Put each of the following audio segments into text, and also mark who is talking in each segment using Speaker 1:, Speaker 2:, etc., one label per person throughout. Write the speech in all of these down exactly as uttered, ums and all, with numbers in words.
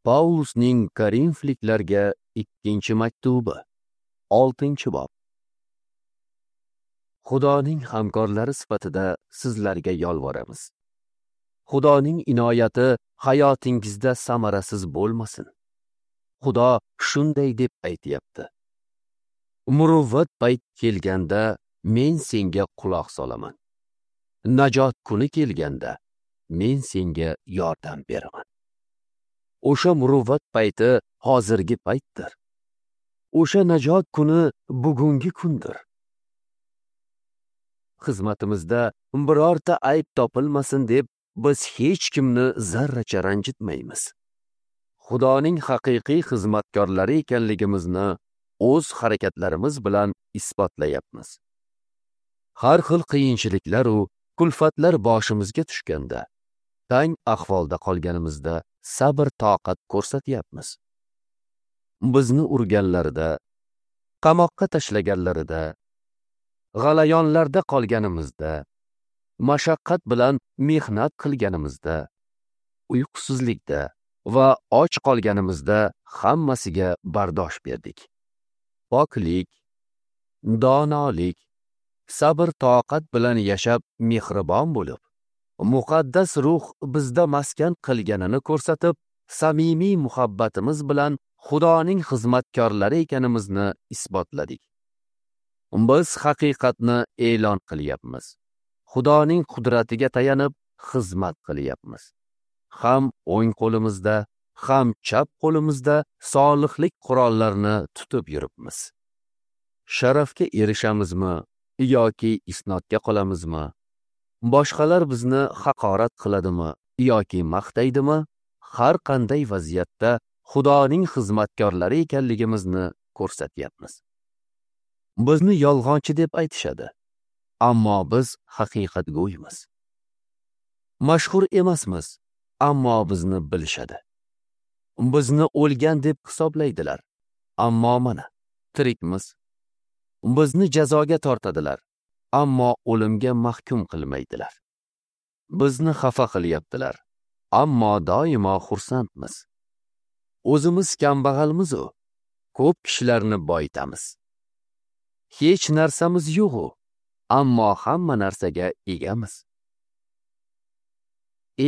Speaker 1: Paulusning Korinfliklarga ikkinchi maktubi, oltinchi bob. Xudoning hamkorlari sifatida sizlarga yolvoramiz. Xudoning inoyati hayotingizda samarasiz bo'lmasin. Xudo shunday deb aytayapti: Muruvvat payt kelganda men senga quloq solaman. Najot kuni kelganda men senga yordam beraman. O'sha muruvvat payti hozirgi paytdir. O'sha najot kuni bugungi kundir. Xizmatimizda birorta ayb topilmasin deb biz hech kimni zarracha ranjitmaymiz. Xudoning haqiqiy xizmatkorlari ekanligimizni o'z harakatlarimiz bilan isbotlayapmiz. Har xil qiyinchiliklar u kulfatlar boshimizga tushganda, tang ahvolda qolganimizda sabr toqat ko'rsatyapmiz. Bizni urganlarida, qamoqqa tashlaganlarida, g'alayonlarda qolganimizda, mashaqqat bilan mehnat qilganimizda, uyqusizlikda va och qolganimizda hammasiga bardosh berdik. Poklik, donolik, sabr toqat bilan yashab mehribon bo'lib, muqaddas ruh bizda maskan qilganini ko'rsatib, samimiy muhabbatimiz bilan Xudoning xizmatkorlari ekanimizni isbotladik. Biz haqiqatni e'lon qilyapmiz. Xudoning qudratiga tayanib xizmat qilyapmiz. Ham o'ng qo'limizda, ham chap qo'limizda solihlik qurollarini tutib yuribmiz. Sharafga erishamizmi yoki isnodga qolamizmi? Boshqalar bizni haqorat qiladimi yoki maqtaydimi? Har qanday vaziyatda Xudoning xizmatkorlari ekanligimizni ko'rsatyapmiz. Bizni yolg'onchi deb aytishadi, ammo biz haqiqatgo'ymiz. Mashhur emasmiz, ammo bizni bilishadi. Bizni o'lgan deb hisoblaydilar, ammo mana tirikmiz. Bizni jazoga tortadilar, ammo o'limga mahkum qilmaydilar. Bizni xafa qilyaptilar, ammo doimo xursandmiz. O'zimiz kambag'almiz-u, ko'p kishilarni boyitamiz. Hech narsamiz yo'q-u, ammo hamma narsaga egamiz.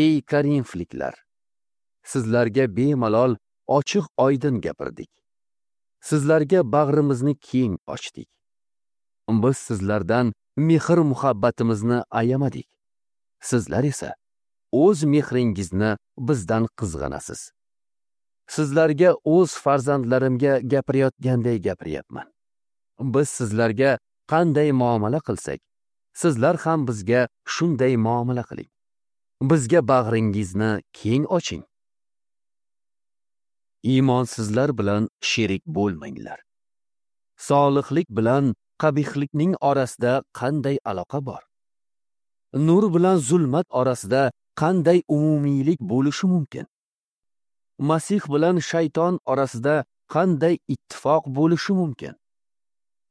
Speaker 1: Ey Korinfliklar, sizlarga bemalol ochiq oydin gapirdik. Sizlarga bag'rimizni keng ochdik. Biz sizlardan mehr muhabbatimizni ayamadik. Sizlar esa o'z mehringizni bizdan qizg'anasiz. Sizlarga o'z farzandlarimga gapirayotganday gapiryapman. Biz sizlarga qanday muomala qilsak, sizlar ham bizga shunday muomala qiling. Bizga bag'ringizni keng oching. Iymonsizlar bilan sherik bo'lmanglar. Solihlik bilan qabihlikning orasida qanday aloqa bor? Nur bilan zulmat orasida qanday umumiylik bo'lishi mumkin? Masih bilan shayton orasida qanday ittifoq bo'lishi mumkin?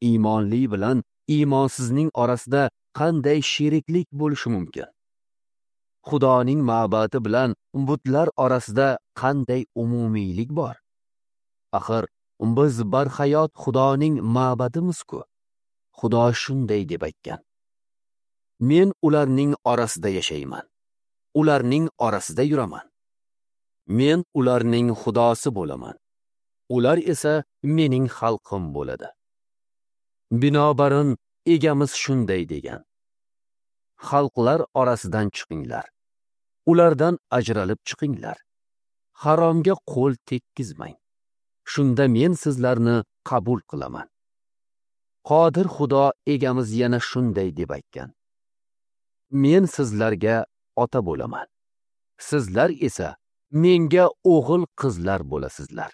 Speaker 1: Iymonli bilan iymonsizning orasida qanday sheriklik bo'lishi mumkin? Xudoning ma'badi bilan butlar orasida qanday umumiylik bor? Axir biz barhayot Xudoning ma'badimiz-ku. Xudo shunday deb aytgan: Men ularning orasida yashayman. Ularning orasida yuraman. Men ularning Xudosi bo'laman. Ular esa mening xalqim bo'ladi. Binobarin egamiz shunday degan: Xalqlar orasidan chiqinglar. Ulardan ajralib chiqinglar. Haromga qo'l tekkizmang. Shunda men sizlarni qabul qilaman. Qodir Xudo egamiz yana shunday deb aytgan: Men sizlarga ota bo'laman. Sizlar esa menga o'g'il qizlar bo'lasizlar.